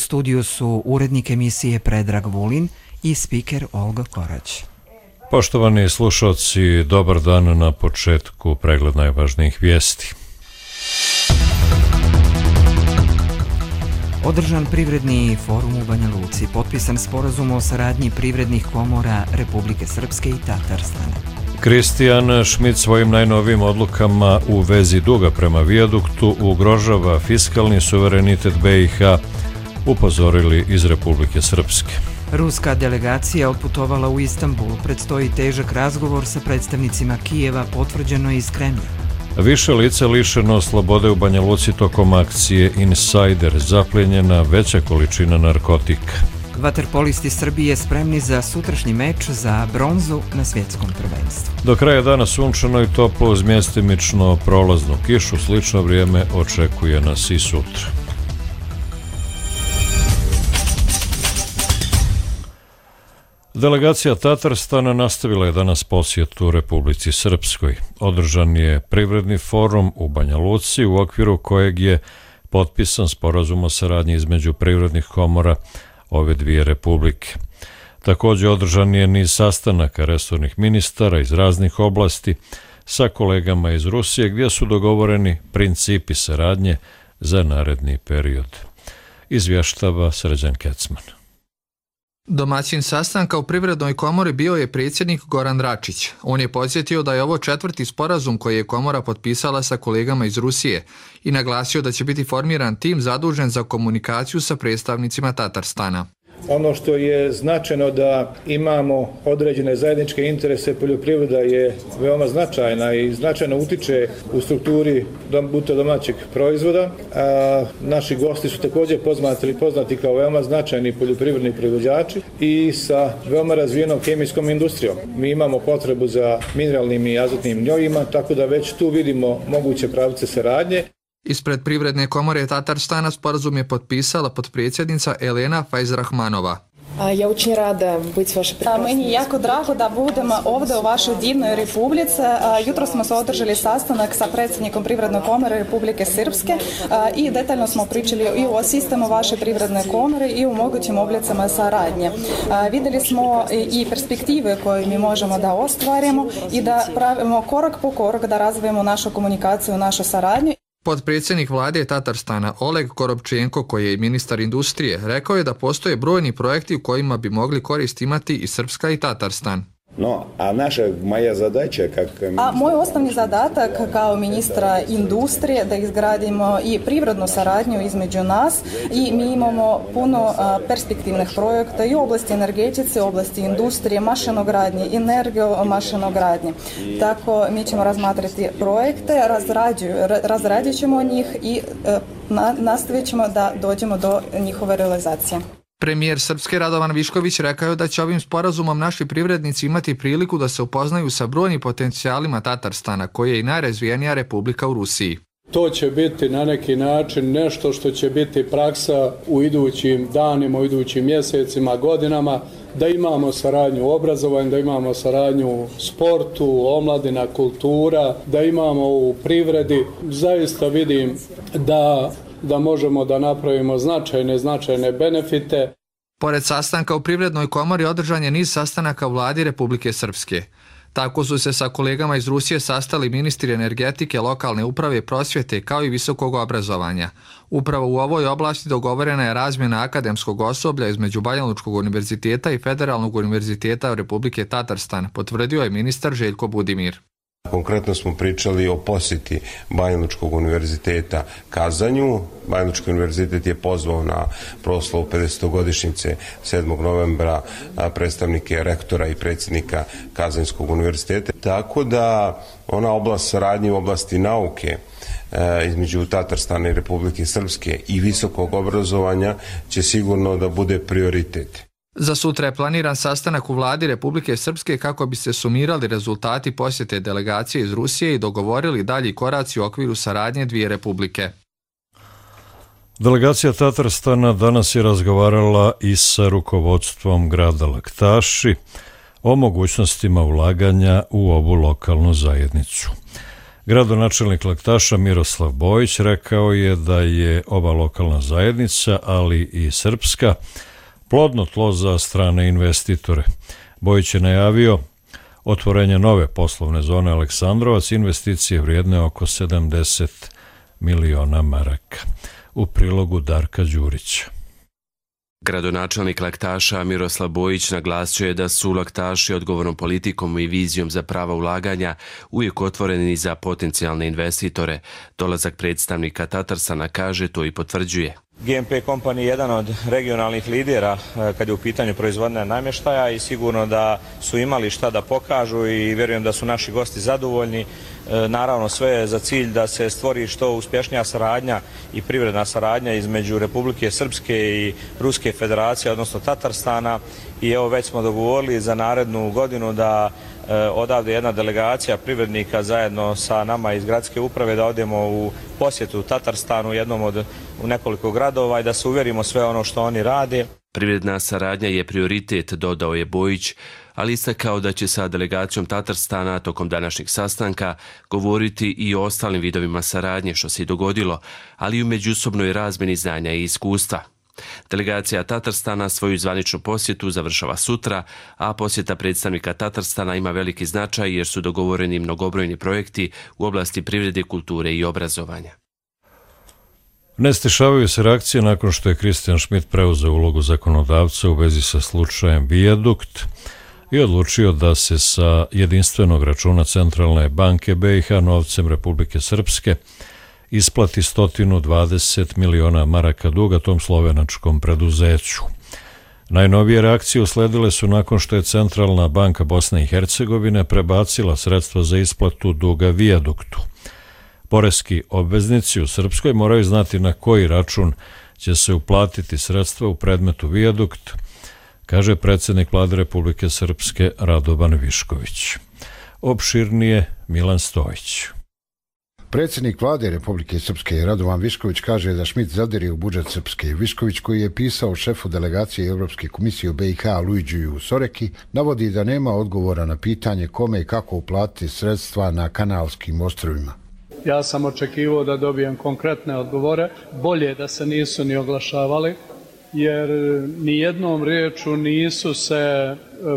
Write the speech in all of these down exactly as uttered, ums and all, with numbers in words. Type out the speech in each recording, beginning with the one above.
studiju su urednik emisije Predrag Vulin i spiker Olga Korać. Poštovani slušalci, dobar dan. Na početku pregled najvažnijih vijesti. Održan privredni forum u Banja Luci, potpisan sporazum o saradnji privrednih komora Republike Srpske i Tatarstana. Kristijan Šmit svojim najnovijim odlukama u vezi duga prema vijaduktu ugrožava fiskalni suverenitet be i ha, upozorili iz Republike Srpske. Ruska delegacija otputovala u Istanbul, predstoji težak razgovor sa predstavnicima Kijeva, potvrđeno iz Kremlja. Više lica lišeno slobode u Banja Luci tokom akcije Insider, zaplijenjena veća količina narkotika. Vaterpolisti Srbije spremni za sutrašnji meč za bronzu na svjetskom prvenstvu. Do kraja dana sunčano i toplo uz mjestimično prolaznu kišu, slično vrijeme očekuje nas i sutra. Delegacija Tatarstana nastavila je danas posjetu Republici Srpskoj. Održan je privredni forum u Banja Luci u okviru kojeg je potpisan sporazum o saradnji između privrednih komora ove dvije republike. Također održan je niz sastanaka resornih ministara iz raznih oblasti sa kolegama iz Rusije gdje su dogovoreni principi saradnje za naredni period. Izvještava Srđan Kecman. Domaćin sastanka u Privrednoj komori bio je predsjednik Goran Račić. On je podsjetio da je ovo četvrti sporazum koji je komora potpisala sa kolegama iz Rusije i naglasio da će biti formiran tim zadužen za komunikaciju sa predstavnicima Tatarstana. Ono što je značajno da imamo određene zajedničke interese, poljoprivreda je veoma značajna i značajno utiče u strukturi bruto domaćeg proizvoda. A naši gosti su također poznati, poznati kao veoma značajni poljoprivredni proizvođači i sa veoma razvijenom kemijskom industrijom. Mi imamo potrebu za mineralnim i azotnim gnojima, tako da već tu vidimo moguće pravce saradnje. Ispred Privredne komore Tatarstana sporazum je potpisala potpredsjednica Elena Fajzrahmanova. Ja очень rada biti vaša predsjednica. Meni je jako drago da budem ovdje u vašoj divnoj republici. Jutro smo se održali sastanak sa predsjednikom Privredne komore Republike Srpske i detaljno smo pričali i o sistemu vaše Privredne komore i o mogućim oblicama saradnje. Vidjeli smo i perspektive koje mi možemo da ostvarimo i da pravimo korak po korak da razvijemo našu komunikaciju, našu saradnju. Potpredsjednik vlade Tatarstana Oleg Korobčenko, koji je i ministar industrije, rekao je da postoje brojni projekti u kojima bi mogli korist imati i Srpska i Tatarstan. No, a naša, moja zadaća kak... A moj osnovni zadatak kao ministra industrije da izgradimo i privrednu saradnju između nas i mi imamo puno perspektivnih projekta i u oblasti energetice, u oblasti industrije, mašinogradnje, energijo mašinogradnje. Tako mi ćemo razmatrati projekte, razradit ćemo njih i nastavit ćemo da dođemo do njihove realizacije. Premijer Srpske Radovan Višković rekao je da će ovim sporazumom naši privrednici imati priliku da se upoznaju sa brojnim potencijalima Tatarstana, koji je i najrazvijenija republika u Rusiji. To će biti na neki način nešto što će biti praksa u idućim danima, u idućim mjesecima, godinama, da imamo saradnju u obrazovanju, da imamo saradnju u sportu, omladina, kultura, da imamo u privredi. Zaista vidim da da možemo da napravimo značajne, značajne benefite. Pored sastanka u Privrednoj komori održan je niz sastanaka u vladi Republike Srpske. Tako su se sa kolegama iz Rusije sastali ministri energetike, lokalne uprave, prosvjete kao i visokog obrazovanja. Upravo u ovoj oblasti dogovorena je razmjena akademskog osoblja između Banja Lučkog univerziteta i Federalnog univerziteta Republike Tatarstan, potvrdio je ministar Željko Budimir. Konkretno smo pričali o posjeti Banja Lučkog univerziteta Kazanju. Banja Lučki univerzitet je pozvao na proslavu pedesetogodišnjice sedmog novembra predstavnike rektora i predsjednika Kazanjskog univerziteta. Tako da ona oblast saradnje u oblasti nauke između Tatarstana i Republike Srpske i visokog obrazovanja će sigurno da bude prioritet. Za sutra je planiran sastanak u vladi Republike Srpske kako bi se sumirali rezultati posjete delegacije iz Rusije i dogovorili dalji koraci u okviru saradnje dvije republike. Delegacija Tatarstana danas je razgovarala i sa rukovodstvom grada Laktaši o mogućnostima ulaganja u ovu lokalnu zajednicu. Gradonačelnik Laktaša Miroslav Bojić rekao je da je ova lokalna zajednica, ali i srpska, plodno tlo za strane investitore. Bojić je najavio otvorenje nove poslovne zone Aleksandrovac, investicije vrijedne oko sedamdeset miliona maraka. U prilogu Darka Đurića. Gradonačelnik Laktaša Miroslav Bojić naglasio je da su Laktaši odgovornom politikom i vizijom za prava ulaganja uvijek otvoreni za potencijalne investitore. Dolazak predstavnika Tatarstana, kaže, to i potvrđuje. G M P Company je jedan od regionalnih lidera kad je u pitanju proizvodnja namještaja i sigurno da su imali šta da pokažu i vjerujem da su naši gosti zadovoljni. Naravno, sve je za cilj da se stvori što uspješnija saradnja i privredna saradnja između Republike Srpske i Ruske federacije, odnosno Tatarstana, i evo već smo dogovorili za narednu godinu da odavde jedna delegacija privrednika zajedno sa nama iz gradske uprave da odemo u posjetu Tatarstanu, jednom od u nekoliko gradova, i da se uvjerimo sve ono što oni rade. Privredna saradnja je prioritet, dodao je Bojić, ali istakao da će sa delegacijom Tatarstana tokom današnjeg sastanka govoriti i o ostalim vidovima saradnje, što se i dogodilo, ali i u međusobnoj razmjeni znanja i iskustva. Delegacija Tatarstana svoju zvaničnu posjetu završava sutra, a posjeta predstavnika Tatarstana ima veliki značaj jer su dogovoreni mnogobrojni projekti u oblasti privrede, kulture i obrazovanja. Ne stišavaju se reakcije nakon što je Kristijan Šmit preuzeo ulogu zakonodavca u vezi sa slučajem Vijadukt i odlučio da se sa jedinstvenog računa Centralne banke B i H novcem Republike Srpske isplati sto dvadeset miliona maraka duga tom slovenačkom preduzeću. Najnovije reakcije usledile su nakon što je Centralna banka Bosne i Hercegovine prebacila sredstva za isplatu duga Vijaduktu. Poreski obveznici u Srpskoj moraju znati na koji račun će se uplatiti sredstva u predmetu Vijadukt, kaže predsjednik Vlade Republike Srpske Radovan Višković. Opširnije Milan Stojić. Predsjednik Vlade Republike Srpske Radovan Višković kaže da Šmit zadire u budžet Srpske. Višković, koji je pisao šefu delegacije Europske komisije u B i H Luidžiju Soreki, navodi da nema odgovora na pitanje kome i kako uplatiti sredstva na Kanalskim ostrvima. Ja sam očekivao da dobijem konkretne odgovore. Bolje da se nisu ni oglašavali, jer ni jednom riječu nisu se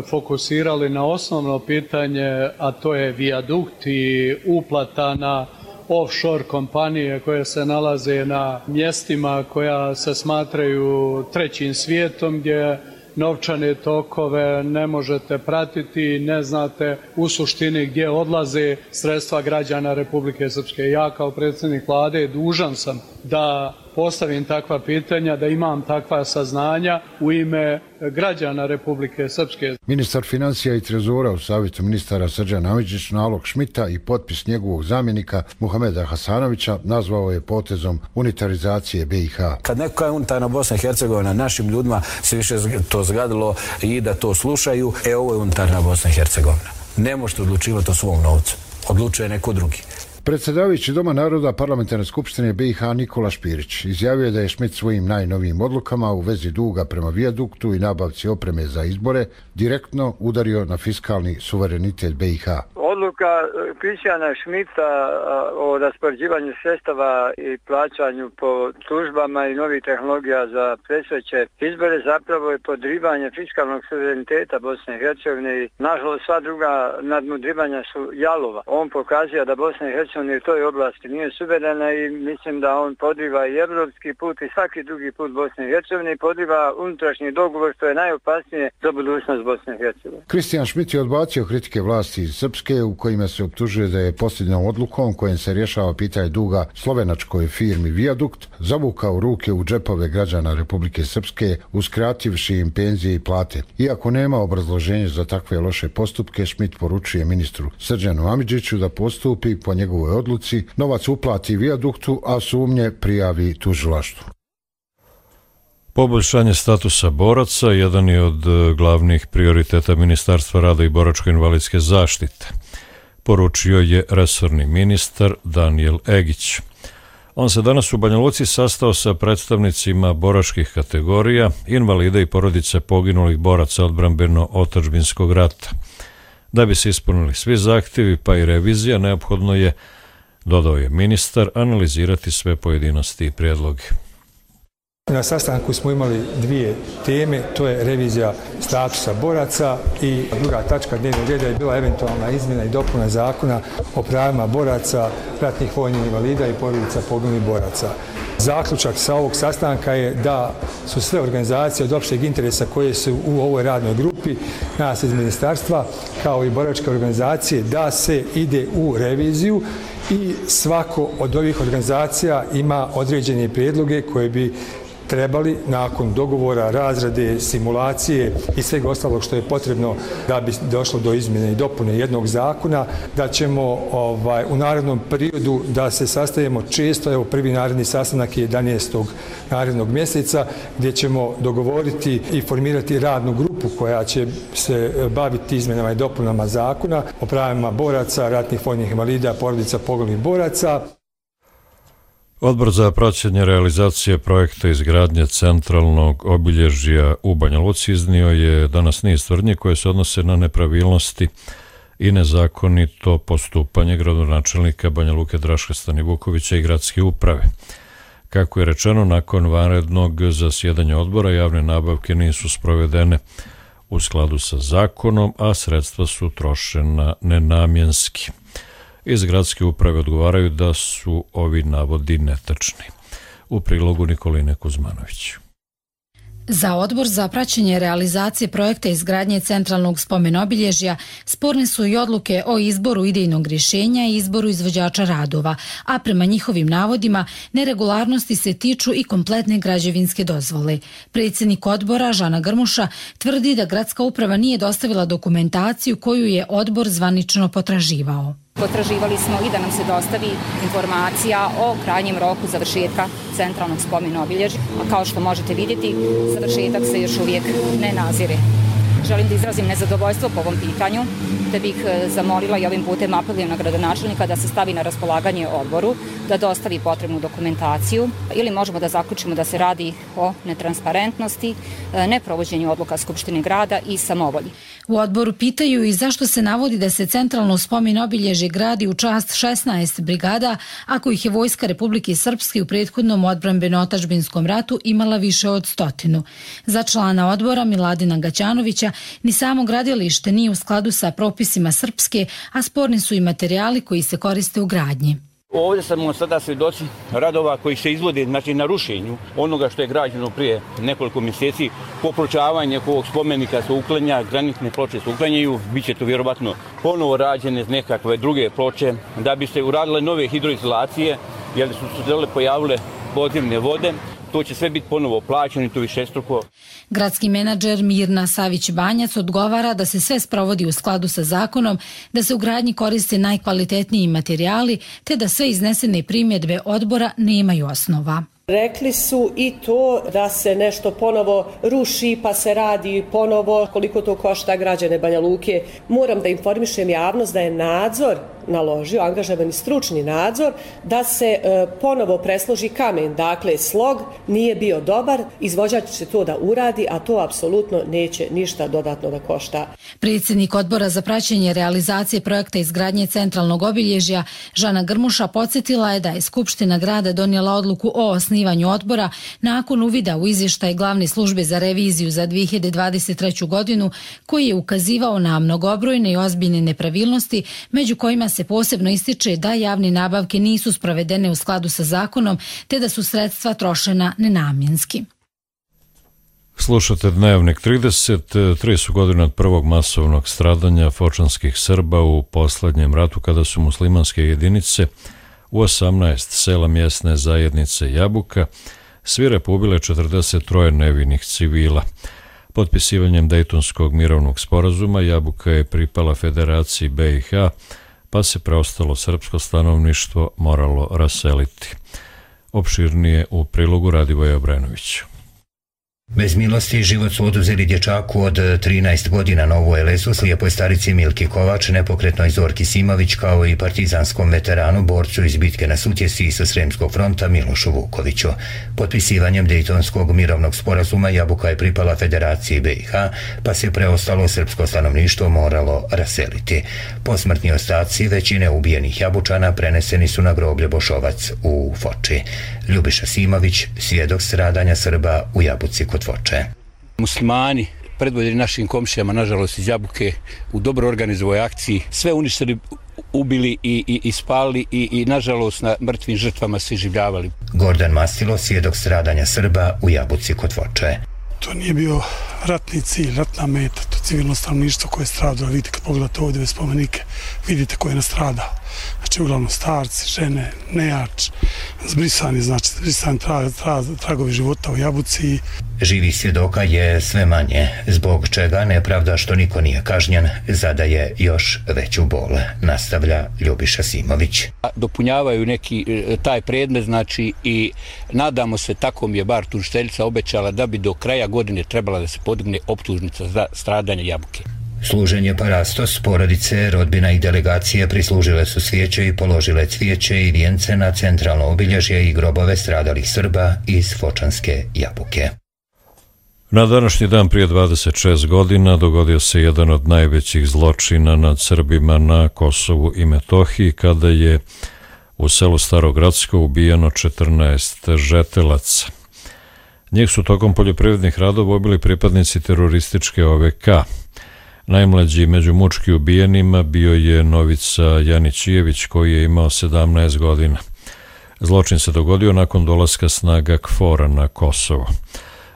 fokusirali na osnovno pitanje, a to je vijadukt i uplata na offshore kompanije koje se nalaze na mjestima koja se smatraju trećim svijetom, gdje novčane tokove ne možete pratiti, ne znate u suštini gdje odlaze sredstva građana Republike Srpske. Ja kao predsjednik Vlade dužan sam da postavim takva pitanja, da imam takva saznanja u ime građana Republike Srpske. Ministar financija i trezora u savjetu ministara Srđan Amidžić nalog Šmita i potpis njegovog zamjenika Muhameda Hasanovića nazvao je potezom unitarizacije B i H. Kad neko kaže unitarna Bosna i Hercegovina, našim ljudima se više to zgadilo i da to slušaju, e ovo je unitarna Bosna i Hercegovina. Ne možete odlučivati o svom novcu, odlučuje neko drugi. Predsjedavajući Doma naroda Parlamentarne skupštine B i H Nikola Špirić izjavio je da je Šmit svojim najnovijim odlukama u vezi duga prema Vijaduktu i nabavci opreme za izbore direktno udario na fiskalni suverenitet B i H. Odluka Kristijana Šmita o raspoređivanju sredstava i plaćanju po službama i novih tehnologija za predstojeće izbore zapravo je podrivanje fiskalnog suvereniteta Bosne i Hercegovine i nažalost sva druga nadmudrivanja su jalova. On pokazuje da Bosna i Hercegovina u toj oblasti nije suverena i mislim da on podriva i evropski put i svaki drugi put Bosne i Hercegovine i podriva unutrašnji dogovor, što je najopasnije za budućnost Bosne i Hercegovine. Kristijan Šmit je odbacio kritike vlasti iz Srpske u kojima se optužuje da je posljednjom odlukom kojim se rješava pitanje duga slovenačkoj firmi Vijadukt zavukao ruke u džepove građana Republike Srpske uskrativši im penzije i plate. Iako nema obrazloženja za takve loše postupke, Šmit poručuje ministru Srđanu Amidžiću da postupi po njegovoj odluci, novac uplati Vijaduktu, a sumnje prijavi tužilaštvu. Poboljšanje statusa boraca jedan je od glavnih prioriteta Ministarstva rada i boračko-invalidske zaštite, poručio je resorni ministar Danijel Egić. On se danas u Banja Luci sastao sa predstavnicima boračkih kategorija, invalida i porodice poginulih boraca odbrambeno-otadžbinskog rata. Da bi se ispunili svi zahtjevi pa i revizija, neophodno je dodao je ministar, analizirati sve pojedinosti i prijedloge. Na sastanku smo imali dvije teme, to je revizija statusa boraca i druga tačka dnevnog reda je bila eventualna izmjena i dopuna zakona o pravima boraca, ratnih vojnih invalida i porodica poginulih boraca. Zaključak sa ovog sastanka je da su sve organizacije od opšteg interesa koje su u ovoj radnoj grupi, nas iz ministarstva, kao i boračke organizacije, da se ide u reviziju i svako od ovih organizacija ima određene prijedloge koje bi trebali nakon dogovora, razrade, simulacije i svega ostalog što je potrebno da bi došlo do izmjene i dopune jednog zakona, da ćemo ovaj, u narednom periodu da se sastajemo često, evo prvi naredni sastanak je jedanaestog narednog mjeseca, gdje ćemo dogovoriti i formirati radnu grupu koja će se baviti izmjenama i dopunama zakona o pravima boraca, ratnih vojnih invalida, porodica poginulih boraca. Odbor za praćenje realizacije projekta izgradnje centralnog obilježja u Banja Luci iznio je danas niz tvrdnji koje se odnose na nepravilnosti i nezakonito postupanje gradonačelnika Banja Luke Draška Stanivukovića i gradske uprave. Kako je rečeno, nakon vanrednog zasjedanja odbora javne nabavke nisu sprovedene u skladu sa zakonom, a sredstva su trošena nenamjenski. Iz gradske uprave odgovaraju da su ovi navodi netačni. U prilogu Nikoline Kuzmanović. Za Odbor za praćenje realizacije projekta izgradnje centralnog spomen-obilježja sporne su i odluke o izboru idejnog rješenja i izboru izvođača radova, a prema njihovim navodima neregularnosti se tiču i kompletne građevinske dozvole. Predsjednik odbora Žana Grmuša tvrdi da gradska uprava nije dostavila dokumentaciju koju je odbor zvanično potraživao. Potraživali smo i da nam se dostavi informacija o krajnjem roku završetka centralnog spomen-obilježja, a kao što možete vidjeti, završetak se još uvijek ne nazire. Želim da izrazim nezadovoljstvo po ovom pitanju, da bih zamolila i ovim putem apelujem na gradonačelnika da se stavi na raspolaganje odboru, da dostavi potrebnu dokumentaciju ili možemo da zaključimo da se radi o netransparentnosti, neprovođenju odluka Skupštine grada i samovolji. U odboru pitaju i zašto se navodi da se centralno spomen-obilježje gradi u čast šesnaest brigada, ako ih je Vojska Republike Srpske u prethodnom odbrambeno-otadžbinskom ratu imala više od stotinu. Za člana odbora Miladina Gaćanovića ni samo gradilište nije u skladu sa propisima Srpske, a sporni su i materijali koji se koriste u gradnji. Ovdje smo sada svjedoci radova koji se izvode, znači, na rušenju onoga što je građeno prije nekoliko mjeseci. Popločavanje ovog spomenika se uklanja, granitne ploče se uklanjaju, bit će to vjerovatno ponovo rađene nekakve druge ploče da bi se uradile nove hidroizolacije, jer su se pojavile podzemne vode. To će sve biti ponovo plaćeno i to višestruko. Gradski menadžer Mirna Savić-Banjac odgovara da se sve sprovodi u skladu sa zakonom, da se u gradnji koriste najkvalitetniji materijali, te da sve iznesene primjedbe odbora nemaju osnova. Rekli su i to da se nešto ponovo ruši pa se radi ponovo, koliko to košta građane Banja Luke. Moram da informišem javnost da je nadzor naložio, angažovani stručni nadzor, da se e, ponovo presloži kamen. Dakle, slog nije bio dobar, izvođač će to da uradi, a to apsolutno neće ništa dodatno da košta. Predsjednik odbora za praćenje realizacije projekta izgradnje centralnog obilježja Žana Grmuša podsjetila je da je Skupština grada donijela odluku o osnivanju odbora nakon uvida u izvještaj glavne službe za reviziju za dvije hiljade dvadeset treću godinu, koji je ukazivao na mnogobrojne i ozbiljne nepravilnosti, među kojima se posebno ističe da javne nabavke nisu sprovedene u skladu sa zakonom, te da su sredstva trošena nenamjenski. Slušate Dnevnik trideset. Tri su godine od prvog masovnog stradanja fočanskih Srba u posljednjem ratu, kada su muslimanske jedinice u osamnaest sela mjesne zajednice Jabuka svire pobile četrdeset troje nevinih civila. Potpisivanjem Dejtonskog mirovnog sporazuma Jabuka je pripala Federaciji B i H, pa se preostalo srpsko stanovništvo moralo raseliti. Opširnije u prilogu Radivoja Obrenovića. Bez milosti život su oduzeli dječaku od trinaest godina na Novoj Elesu, slijepoj starici Milki Kovač, nepokretnoj Zorki Simović, kao i partizanskom veteranu, borcu iz bitke na Sutjesi sa Sremskog fronta Milošu Vukoviću. Potpisivanjem Dejtonskog mirovnog sporazuma Jabuka je pripala Federaciji B i H, pa se preostalo srpsko stanovništvo moralo raseliti. Posmrtni ostaci većine ubijenih Jabučana preneseni su na groblje Bošovac u Foči. Ljubiša Simović, svjedok stradanja Srba u Jabuci kod Foče. Muslimani, predvodili našim komšijama, nažalost iz Jabuke, u dobro organizovoj akciji, sve uništili, ubili i, i, i spali i, i nažalost na mrtvim žrtvama se življavali. Gordan Mastilo, svjedok stradanja Srba u Jabuci kod Foče. To nije bio ratni cilj, ratna meta, to civilno stanovništvo koje je stradalo. Vidite, kad pogledate ovdje spomenike, vidite ko je nastradao. Znači, uglavnom starci, žene, nejač, zbrisani, znači, zbrisani tra, tra, tragovi života u Jabuci. Živih svjedoka je sve manje, zbog čega nepravda što niko nije kažnjen zadaje još veću bol, nastavlja Ljubiša Simović. Dopunjavaju neki taj predmet, znači, i nadamo se, tako mi je bar tužiteljica obećala, da bi do kraja godine trebala da se podigne optužnica za stradanje Jabuke. Služenje parastos, porodice, rodbina i delegacije prislužile su svijeće i položile cvijeće i vijence na centralno obilježje i grobove stradalih Srba iz Fočanske Jabuke. Na današnji dan prije dvadeset šest godina dogodio se jedan od najvećih zločina nad Srbima na Kosovu i Metohiji, kada je u selu Starogradsko ubijeno četrnaest žetelaca. Njih su tokom poljoprivrednih radova ubili pripadnici terorističke O V K. Najmlađi među mučki ubijenima bio je Novica Janićijević, koji je imao sedamnaest godina. Zločin se dogodio nakon dolaska snaga KFOR-a na Kosovo.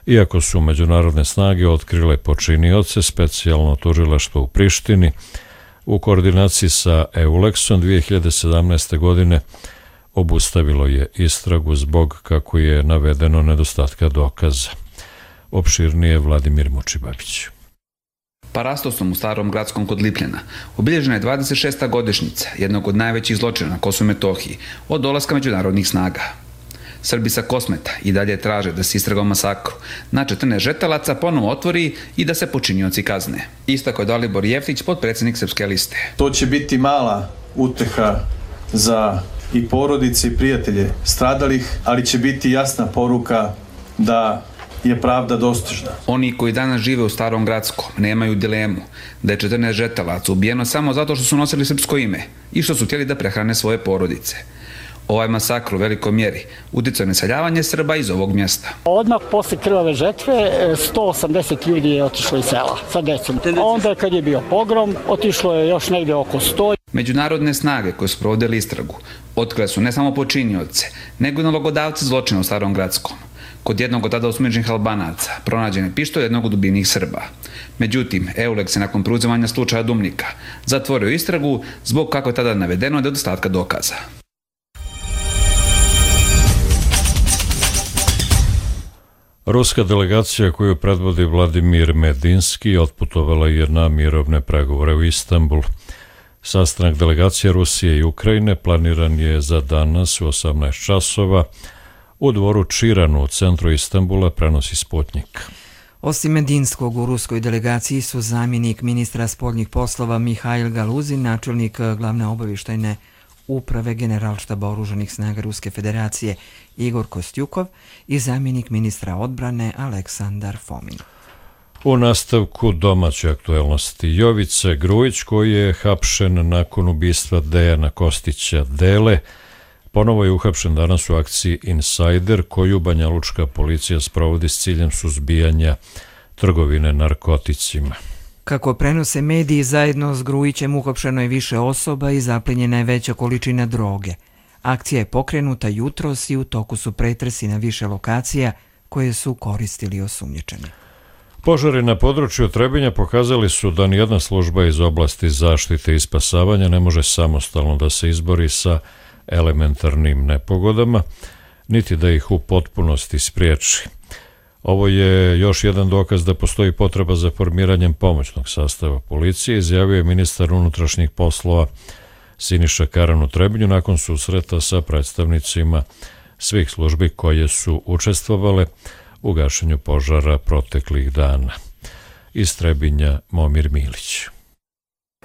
Iako su međunarodne snage otkrile počinioce, specijalno tužilaštvo u Prištini u koordinaciji sa EULEX-om dvije hiljade sedamnaeste. godine obustavilo je istragu zbog, kako je navedeno, nedostatka dokaza. Opširnije Vladimir Mučibabić. Parastosom u Starom Gradskom kod Lipljana obilježena je dvadeset šesta godišnjica jednog od najvećih zločina na Kosovu i Metohiji od dolaska međunarodnih snaga. Srbi sa Kosmeta i dalje traže da se istraga o masakru na četrnaest žetelaca ponovo otvori i da se počinioci kazne. Istako je Dalibor Jeftić, potpredsjednik Srpske liste. To će biti mala uteha za i porodice i prijatelje stradalih, ali će biti jasna poruka da je pravda dostižna. Oni koji danas žive u Starom Gradskom nemaju dilemu da je četrnaest žetelaca ubijeno samo zato što su nosili srpsko ime i što su htjeli da prehrane svoje porodice. Ovaj masakr u velikoj mjeri uticao na iseljavanje Srba iz ovog mjesta. Odmah posle krvave žetve sto osamdeset ljudi je otišlo iz sela sa decom. Onda kad je bio pogrom, otišlo je još negdje oko sto. Međunarodne snage koje su provodili istragu otkrile su ne samo počinioce, nego i nalogodavce zločina u Starom Gradskom. Kod jednog od tada osumnjičenih Albanaca pronađen je pištolj jednog od ubijenih Srba. Međutim, EULEX je nakon preuzimanja slučaja Dumnika zatvorio istragu zbog, kako je tada navedeno, nedostatka dokaza. Ruska delegacija koju predvodi Vladimir Medinski otputovala je na mirovne pregovore u Istanbul. Sastanak delegacije Rusije i Ukrajine planiran je za danas u osamnaest časova u dvoru Čiranu u centru Istanbula, prenosi Sputnik. Osim Medinskog, u ruskoj delegaciji su zamjenik ministra spoljnih poslova Mihajl Galuzin, načelnik glavne obavještajne uprave Generalštaba oružanih snaga Ruske federacije Igor Kostjukov i zamjenik ministra odbrane Aleksandar Fomin. U nastavku domaće aktuelnosti, Jovica Grujić, koji je hapšen nakon ubistva Dejana Kostića Dele, ponovo je uhapšen danas u akciji Insider, koju banjalučka policija sprovodi s ciljem suzbijanja trgovine narkoticima. Kako prenose mediji, zajedno s Grujićem uhapšeno je više osoba i zaplenjena je veća količina droge. Akcija je pokrenuta jutros i u toku su pretresi na više lokacija koje su koristili osumnjičeni. Požari na području Trebinja pokazali su da nijedna služba iz oblasti zaštite i spasavanja ne može samostalno da se izbori sa elementarnim nepogodama, niti da ih u potpunosti spriječi. Ovo je još jedan dokaz da postoji potreba za formiranjem pomoćnog sastava policije, izjavio je ministar unutrašnjih poslova Siniša Karan u Trebinju nakon susreta sa predstavnicima svih službi koje su učestvovale u gašenju požara proteklih dana. Iz Trebinja Momir Milić.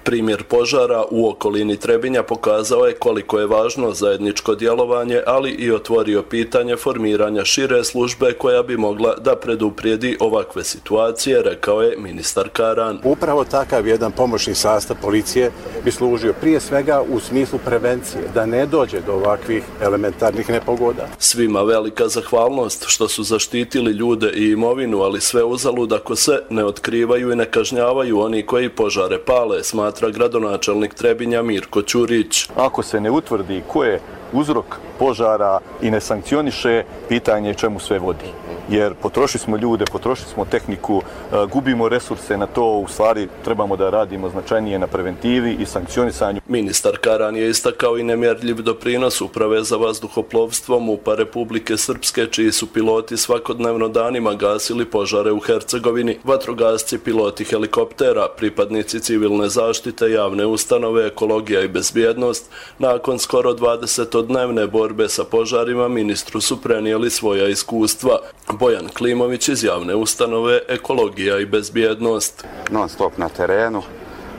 Primjer požara u okolini Trebinja pokazao je koliko je važno zajedničko djelovanje, ali i otvorio pitanje formiranja šire službe koja bi mogla da preduprijedi ovakve situacije, rekao je ministar Karan. Upravo takav jedan pomoćni sastav policije bi služio prije svega u smislu prevencije, da ne dođe do ovakvih elementarnih nepogoda. Svima velika zahvalnost što su zaštitili ljude i imovinu, ali sve uzalud ako se ne otkrivaju i ne kažnjavaju oni koji požare pale, smatra gradonačelnik Trebinja Mirko Ćurić. Ako se ne utvrdi ko je uzrok požara i ne sankcioniše, pitanje je čemu sve vodi. Jer potrošili smo ljude, potrošili smo tehniku, gubimo resurse na to, u stvari trebamo da radimo značajnije na preventivi i sankcionisanju. Ministar Karan je istakao i nemjerljiv doprinos Uprave za vazduhoplovstvo MUP-a Republike Srpske, čiji su piloti svakodnevno danima gasili požare u Hercegovini, vatrogasci, piloti helikoptera, pripadnici civilne zaštite, javne ustanove, ekologija i bezbjednost. Nakon skoro dvadesetodnevne borbe sa požarima ministru su prenijeli svoja iskustva. Bojan Klimović iz javne ustanove Ekologija i bezbjednost. Non stop na terenu,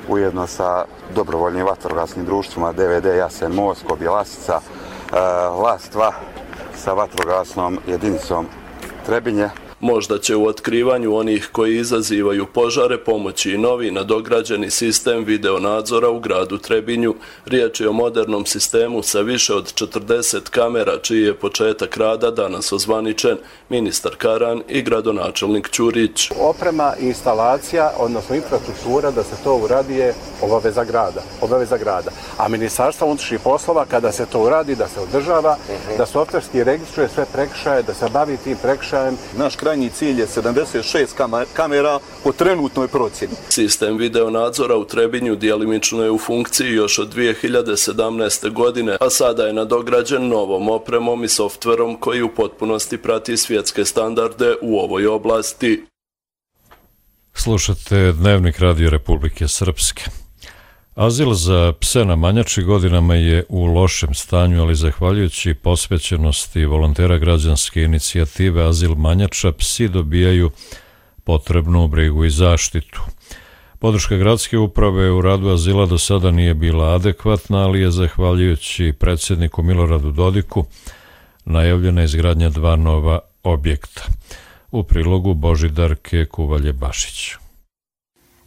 ujedno sa dobrovoljnim vatrogasnim društvima D V D Jasen Most, Bjelasica, Las dva sa vatrogasnom jedinicom Trebinje. Možda će u otkrivanju onih koji izazivaju požare pomoći i novi nadograđeni sistem videonadzora u gradu Trebinju. Riječ je o modernom sistemu sa više od četrdeset kamera, čiji je početak rada danas ozvaničen ministar Karan i gradonačelnik Ćurić. Oprema i instalacija, odnosno infrastruktura, da se to uradi je obaveza grada. Obaveza grada. A Ministarstvo unutrašnjih poslova, kada se to uradi, da se održava, da softverski registruje sve prekršaje, da se bavi tim prekršajem. Naš krajnji cilj je sedamdeset šest kamera po trenutnoj procjeni. Sistem videonadzora u Trebinju djelimično je u funkciji još od dvije hiljade sedamnaeste. godine, a sada je nadograđen novom opremom i softverom koji u potpunosti prati svjetske standarde u ovoj oblasti. Slušate Dnevnik Radio Republike Srpske. Azil za pse na Manjači godinama je u lošem stanju, ali zahvaljujući posvećenosti volontera građanske inicijative Azil Manjača, psi dobijaju potrebnu brigu i zaštitu. Podrška gradske uprave u radu azila do sada nije bila adekvatna, ali je zahvaljujući predsjedniku Miloradu Dodiku najavljena izgradnja dva nova objekta. U prilogu Božidarke Kuvalje-Bašić.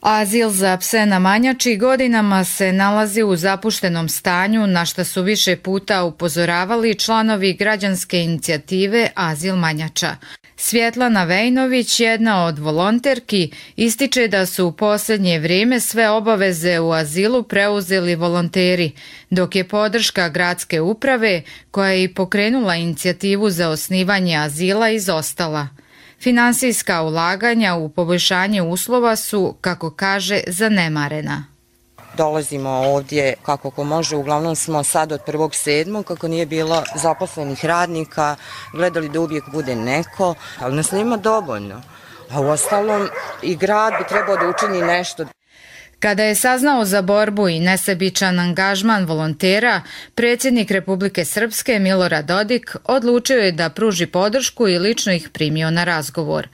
Azil za pse na Manjači godinama se nalazi u zapuštenom stanju, na što su više puta upozoravali članovi građanske inicijative Azil Manjača. Svjetlana Vejnović, jedna od volonterki, ističe da su u posljednje vrijeme sve obaveze u azilu preuzeli volonteri, dok je podrška gradske uprave, koja je i pokrenula inicijativu za osnivanje azila, izostala. Finansijska ulaganja u poboljšanje uslova su, kako kaže, zanemarena. Dolazimo ovdje kako ko može, uglavnom smo sad od prvog sedmog kako nije bilo zaposlenih radnika, gledali da uvijek bude neko, ali nas nema dovoljno. A u ostalom i grad bi trebao da učini nešto. Kada je saznao za borbu i nesebičan angažman volontera, predsjednik Republike Srpske Milorad Dodik odlučio je da pruži podršku i lično ih primio na razgovor.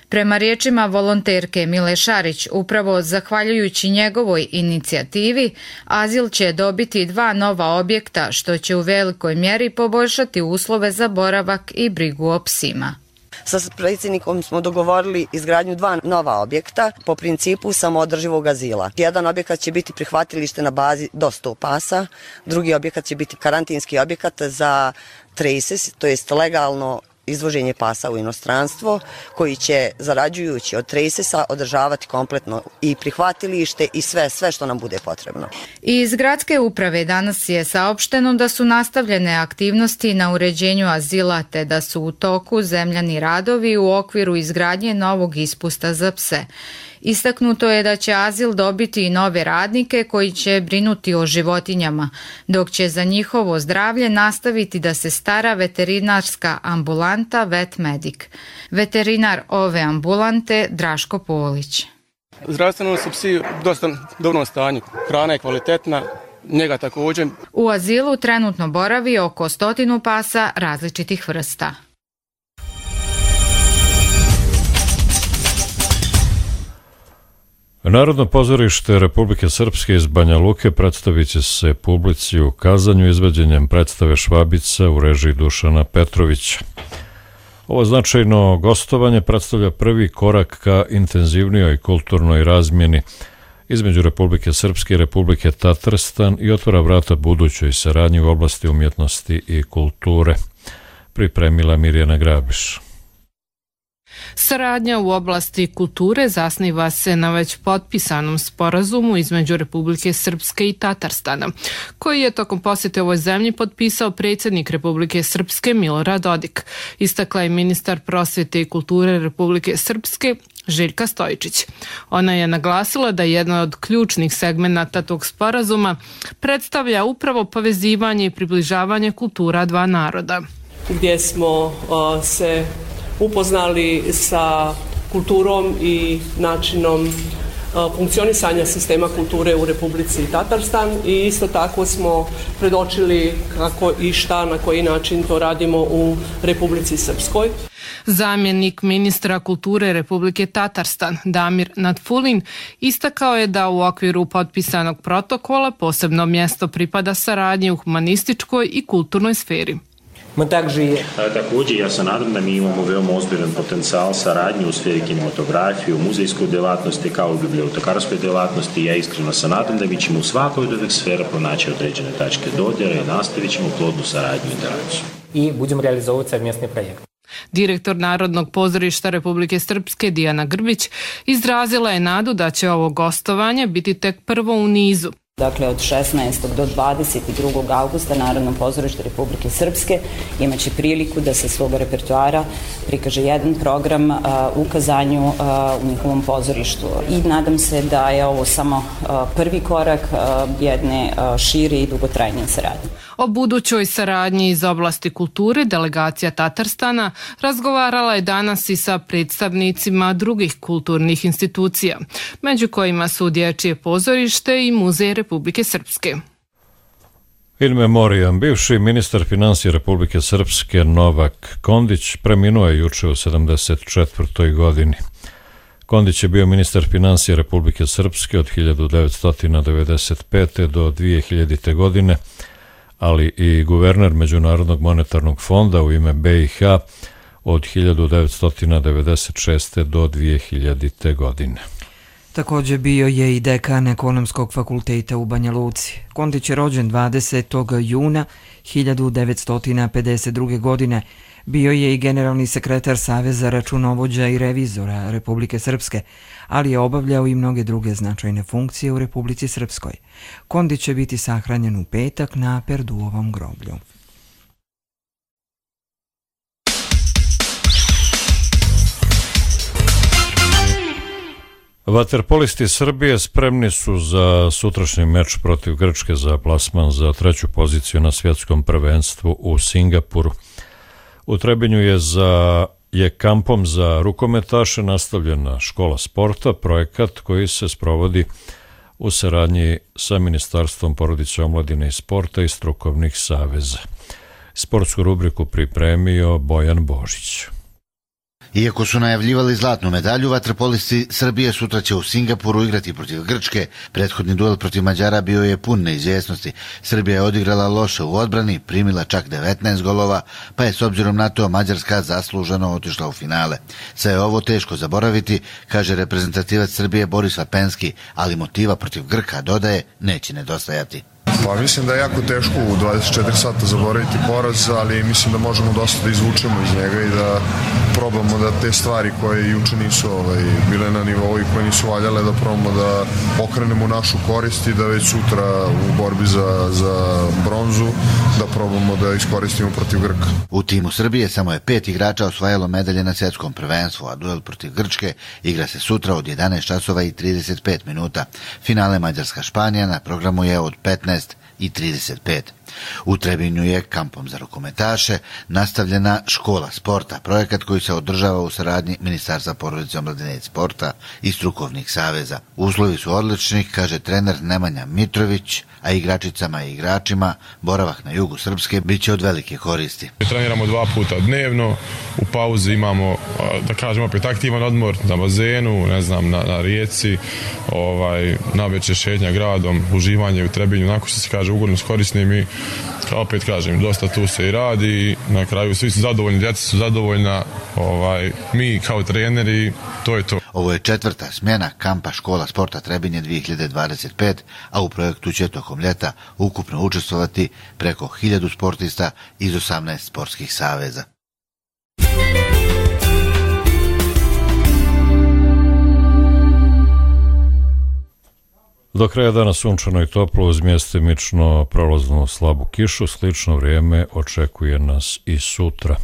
Prema riječima volonterke Mile Šarić, upravo zahvaljujući njegovoj inicijativi, azil će dobiti dva nova objekta, što će u velikoj mjeri poboljšati uslove za boravak i brigu o psima. Sa predsjednikom smo dogovorili izgradnju dva nova objekta po principu samoodrživog azila. Jedan objekat će biti prihvatilište na bazi do sto pasa, drugi objekat će biti karantinski objekat za traces, to jest legalno izvoženje pasa u inostranstvo, koji će, zarađujući od tracesa, održavati kompletno i prihvatilište i sve, sve što nam bude potrebno. Iz gradske uprave danas je saopšteno da su nastavljene aktivnosti na uređenju azila, te da su u toku zemljani radovi u okviru izgradnje novog ispusta za pse. Istaknuto je da će azil dobiti i nove radnike koji će brinuti o životinjama, dok će za njihovo zdravlje nastaviti da se stara veterinarska ambulanta Vet Medic. Veterinar ove ambulante Draško Polić. Zdravstveno su psi u dosta dobrom stanju. Hrana je kvalitetna, njega također. U azilu trenutno boravi oko stotinu pasa različitih vrsta. Narodno pozorište Republike Srpske iz Banja Luke predstavit će se publici u Kazanju izvođenjem predstave Švabica u režiji Dušana Petrovića. Ovo značajno gostovanje predstavlja prvi korak ka intenzivnijoj kulturnoj razmjeni između Republike Srpske i Republike Tatarstan i otvara vrata budućoj saradnji u oblasti umjetnosti i kulture, pripremila Mirjana Grabiš. Saradnja u oblasti kulture zasniva se na već potpisanom sporazumu između Republike Srpske i Tatarstana, koji je tokom posjete ovoj zemlji potpisao predsjednik Republike Srpske Milorad Dodik, istakla je ministar prosvjete i kulture Republike Srpske Željka Stojičić. Ona je naglasila da jedna od ključnih segmenata tog sporazuma predstavlja upravo povezivanje i približavanje kultura dva naroda. Gdje smo uh, se upoznali sa kulturom i načinom funkcionisanja sistema kulture u Republici Tatarstan i isto tako smo predočili kako i šta, na koji način to radimo u Republici Srpskoj. Zamjenik ministra kulture Republike Tatarstan Damir Natfulin istakao je da u okviru potpisanog protokola posebno mjesto pripada saradnji u humanističkoj i kulturnoj sferi. Također, ja se nadam da mi imamo veoma ozbiljan potencijal saradnje u sferi kinematografije, u muzejskoj djelatnosti kao i u bibliotekarskoj djelatnosti. Ja iskreno se nadam da mi ćemo u svakoj od ovih sfera pronaći određene tačke dodira i nastavit ćemo plodnu saradnju i interakciju. I budemo realizovati savmjesni projekt. Direktor Narodnog pozorišta Republike Srpske Dijana Grbić izrazila je nadu da će ovo gostovanje biti tek prvo u nizu. Dakle, od šesnaestog do dvadeset drugog augusta Narodno pozorište Republike Srpske imaće priliku da sa svog repertoara prikaže jedan program uh, u Kazanju uh, u njihovom pozorištu. I nadam se da je ovo samo uh, prvi korak uh, jedne uh, šire i dugotrajne saradnje. O budućoj saradnji iz oblasti kulture delegacija Tatarstana razgovarala je danas i sa predstavnicima drugih kulturnih institucija, među kojima su Dječje pozorište i Muzej Republike Srpske. In memoriam, bivši ministar financija Republike Srpske Novak Kondić preminuo je juče u sedamdeset četvrtoj godini. Kondić je bio ministar financija Republike Srpske od hiljadu devetsto devedeset pete do dvije hiljadite. godine, ali i guverner Međunarodnog monetarnog fonda u ime B i H od hiljadu devetsto devedeset šeste. do dvije hiljadite. godine. Također bio je i dekan Ekonomskog fakulteta u Banja Luci. Kondić je rođen dvadesetog juna hiljadu devetsto pedeset druge. godine. Bio je i generalni sekretar Saveza računovođa i revizora Republike Srpske, ali je obavljao i mnoge druge značajne funkcije u Republici Srpskoj. Kondić će biti sahranjen u petak na Perduovom groblju. Vaterpolisti Srbije spremni su za sutrašnji meč protiv Grčke za plasman za treću poziciju na svjetskom prvenstvu u Singapuru. U Trebinju je za je kampom za rukometaše nastavljena škola sporta, projekat koji se sprovodi u saradnji sa Ministarstvom porodice, omladine i sporta i strukovnih saveza. Sportsku rubriku pripremio Bojan Božić. Iako su najavljivali zlatnu medalju, vaterpolisti Srbije sutra će u Singapuru igrati protiv Grčke. Prethodni duel protiv Mađara bio je pun neizvjesnosti. Srbija je odigrala loše u odbrani, primila čak devetnaest golova, pa je s obzirom na to Mađarska zasluženo otišla u finale. Sve je ovo teško zaboraviti, kaže reprezentativac Srbije Boris Vapenski, ali motiva protiv Grka, dodaje, neće nedostajati. Pa mislim da je jako teško u dvadeset četiri sata zaboraviti poraz, ali mislim da možemo dosta da izvučemo iz njega i da probamo da te stvari koje juče nisu ovaj, bile na nivou i koje nisu valjale, da probamo da okrenemo našu korist i da već sutra u borbi za, za bronzu da probamo da iskoristimo protiv Grka. U timu Srbije samo je pet igrača osvajalo medalje na svjetskom prvenstvu, a duel protiv Grčke igra se sutra od jedanaest časova i trideset pet minuta. Finale Mađarska-Španija na programu je od petnaest i trideset pet. U Trebinju je kampom za rukometaše nastavljena škola sporta, projekat koji se održava u saradnji Ministarstva porodice, omladine i sporta i strukovnih saveza. Uslovi su odlični, kaže trener Nemanja Mitrović, a igračicama i igračima boravak na jugu Srpske bit će od velike koristi. Treniramo dva puta dnevno, u pauzi imamo, da kažemo, opet aktivan odmor na bazenu, ne znam, na, na rijeci, ovaj, navečer šetnja gradom, uživanje u Trebinju, onako što se kaže, ugodno s korisnim i opet kažem, dosta tu se i radi, na kraju svi su zadovoljni, djeca su zadovoljna, ovaj, mi kao treneri, to je to. Ovo je četvrta smjena kampa škola sporta Trebinje dvije hiljade dvadeset pet, a u projektu će tokom ljeta ukupno učestvovati preko hiljadu sportista iz osamnaest sportskih saveza. Do kraja dana sunčano i toplo uz mjestimično prolaznu slabu kišu, slično vrijeme očekuje nas i sutra.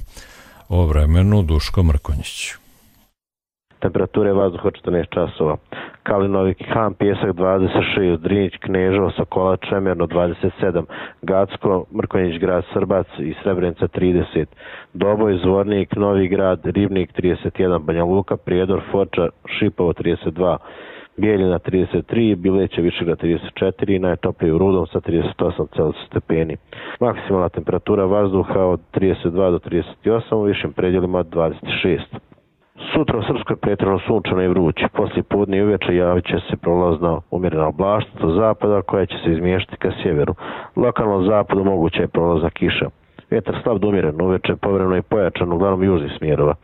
O vremenu Duško Mrkonjić. Temperature vazduha četrnaest časova. Kalinovi Han, Pjesak dvadeset šest, Drinić, Kneževo, Sokola, Čemerno dvadeset sedam, Gacko, Mrkonjić, Grad Srbac i Srebrenica trideset, Doboj, Zvornik, Novi Grad, Ribnik trideset jedan, Banja Luka, Prijedor, Foča, Šipovo trideset dva, Bijeljina trideset tri, Bileće, Višegrad trideset četiri, najtoplije u Rudom sa trideset osam stepeni. Maksimalna temperatura vazduha od trideset dva do trideset osam, u višim predjelima dvadeset šest. Sutra u Srpskoj pretjerano sunčano i vruće. Poslije podne i uveče javit će se prolazna umjerena oblačnost do zapada koja će se izmještati ka sjeveru. Lokalno na zapadu moguća je prolazna kiša. Vjetar slab do umjeren, uveče povremeno i pojačan, uglavnom južnih smjerova.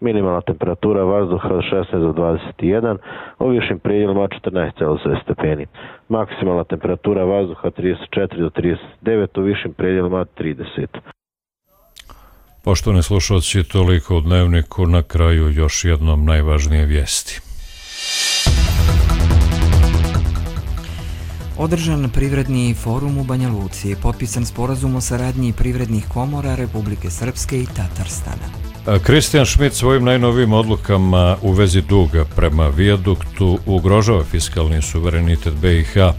Minimalna temperatura vazduha od šesnaest do dvadeset jedan, u višim predjelima četrnaest stepeni. Maksimalna temperatura vazduha trideset četiri do trideset devet, u višim predjelima trideset. Poštovani slušalci, toliko u Dnevniku, na kraju još jednom najvažnije vijesti. Održan privredni forum u Banja Luci, potpisan sporazum o saradnji privrednih komora Republike Srpske i Tatarstana. Kristijan Šmit svojim najnovijim odlukama u vezi duga prema vijaduktu ugrožava fiskalni suverenitet B i H,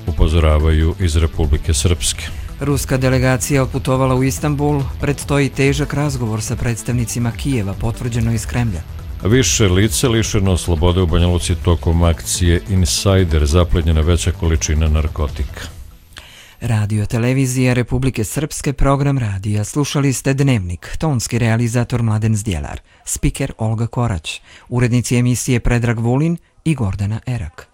upozoravaju iz Republike Srpske. Ruska delegacija otputovala u Istanbul, predstoji težak razgovor sa predstavnicima Kijeva, potvrđeno iz Kremlja. Više lice lišeno slobode u Banja Luci tokom akcije Insider, zaplenjena veća količina narkotika. Radio televizija Republike Srpske, program radija. Slušali ste Dnevnik, tonski realizator Mladen Zdjelar, spiker Olga Korać, urednici emisije Predrag Vulin i Gordana Erak.